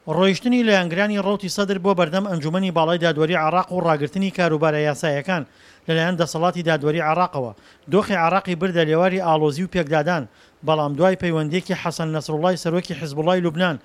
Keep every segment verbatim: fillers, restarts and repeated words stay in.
ڕۆیشتنی لایەنگرانی ڕەوتی سەدر بۆ بەردەم ئەنجومەنی باڵای دادوەری عێراق و ڕاگرتنی کاروبارە یاساییەکان لەلایەن دەسەڵاتی دادوەری عێراقەوە، دۆخی عێراقی بردە لێواری ئاڵۆزی و پێکدادان، بەڵام دوای پەیوەندییەکی حەسەن نەسروڵای سەرۆکی حزبوڵای لوبنان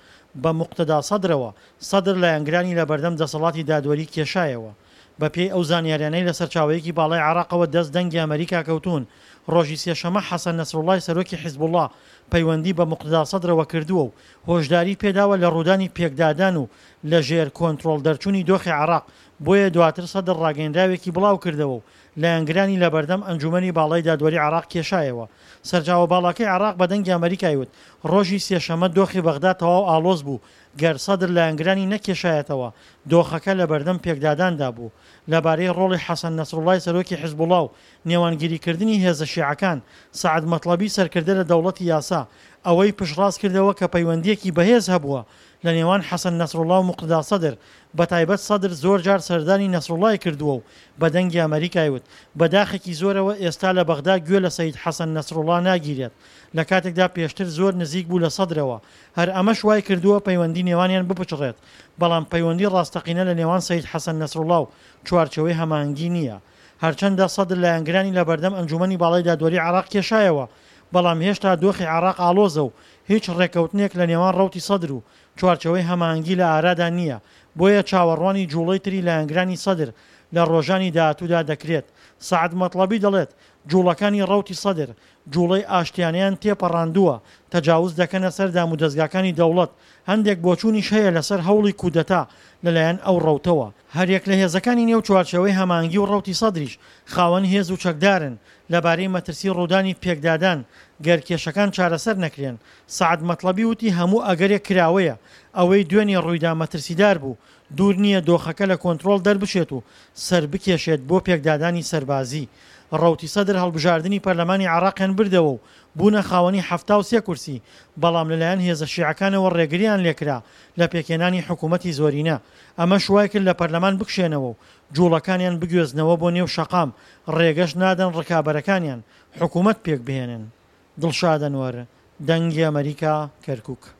بە موقتەدا سەدرەوە، سەدر لایەنگرانی لەبەردەم دەسەڵاتی دادوەری کێشایەوە. بەپێی ئەو زانیاریانەی لە سەرچاوەیەکی باڵای عێراقەوە دەست دەنگی ئەمەریکا کەوتوون، ڕۆژی سێشەممە حەسەن نەسروڵای سەرۆکی حزبوڵا پەیوەندی بە موقتەدا سەدرەوە کردووە و هۆشداری پێداوە لە ڕوودانی پێکدادان و لە ژێر کۆنترۆڵ دەرچوونی دۆخی عێراق، بۆیە دواتر سەدر ڕاگەیەنراوێکی بڵاوکردەوە و لایەنگرانی لەبەردەم ئەنجومەنی باڵای دادوەری عێراق کێشایەوە. سەرچاوە باڵاکەی عێراق بە دەنگی ئەمەریکای وت، ڕۆژی سێشەممە دۆخی بەغدا تەواو ئاڵۆز بوو، گەر سەدر لایەنگرانی نەکێشایەتەوە، دۆخەکە لەبەردەم پێکداداندا بوو. لەبارەی ڕۆڵی حەسەن نەسروڵای سەرۆکی حزبوڵا و نێوانگیریکردنی هێزە شیعەکان، سەعد مەتڵەبی سەرکردە لە دەوڵەتی یاسا، ئەوەی پشتڕاست کردەوە کە پەیوەندییەکی بەهێز هەبووە لە نێوان حەسەن نەسروڵا و موقتەدا سەدر، بەتایبەت سەدر زۆر جار سەردانی نەسروڵای کردووە و بە دەنگی ئەمەریکای وت، بە داخێکی زۆرەوە ئێستا لە بەغدا گوێ لە سەید حەسەن نەسروڵا ناگیرێت، لە کاتێکدا پێشتر زۆر نزیک بوو لە سەدرەوە، هەر ئەمەش وای کردووە پەیوەندی نێوانیان بپچڕێت، بەڵام پەیوەندی ڕاستەقینە لە نێوان سەید حەسەن نەسروڵا و چوارچێوەی هەماهەنگی نییە. هەرچەندە سەدر لایەنگرانی لە بەردەم ئەنجوومەنی باڵای دادوەری عێراق کێشایەوە، بەڵام هێشتا دۆخی عێراق ئاڵۆزە و هیچ ڕێککەوتنێک لە نێوان ڕەوتی سەدر و چوارچێوەی هەماهەنگی لە ئارادا نییە، بۆیە چاوەڕوانی جوڵەی تری لایەنگرانی سەدر لە ڕۆژانی داهاتوودا دەکرێت. سەعد مەتڵەبی دەڵێت، جوڵەکانی ڕەوتی سەدر، جوڵەی ئاشتیانەیان تێپەڕاندووە، تەجاوز دەکەنە سەر دامودەزگاکانی دەوڵەت، هەندێک بۆچوونیش هەیە لەسەر هەوڵی کودەتا لەلایەن ئەو ڕەوتەوە. هەریەک لە هێزەکانی نێو چوارچێوەی هەماهەنگی و ڕەوتی سەدریش خاوەن هێز و چەکدارن، لەبارەی مەترسی ڕوودانی پێکدادان گەر کێشەکان چارەسەر نەکرێن، سەعد مەتڵەبی وتی هەموو ئەگەرێک کراوەیە، ئەوەی دوێنێ ڕوویدا مەترسیدار بوو، دوور نییە دۆخەکە لە کۆنترۆڵ دەربچێت و سەربکێشێت بۆ پێکدادانی سەربازی. ڕەوتی سەدر هەڵبژاردنی پەرلەمانی عێراقیان بردەوە و بوونە خاوەنی حەفتا و سێ کورسی، بەڵام لەلایەن هێزە شیعەکانەوە ڕێگرییان لێکرا لە پێکهێنانی حکومەتی زۆرینە، ئەمەش وایکرد لە پەرلەمان بکشێنەوە و جوڵەکانیان بگوێزنەوە بۆ نێو شەقام، ڕێگەش نادەن ڕکابەرەکانیان حکومەت پێکبهێنن. دڵشاد ئەنوەر، دەنگی ئەمەریکا، کەرکوک.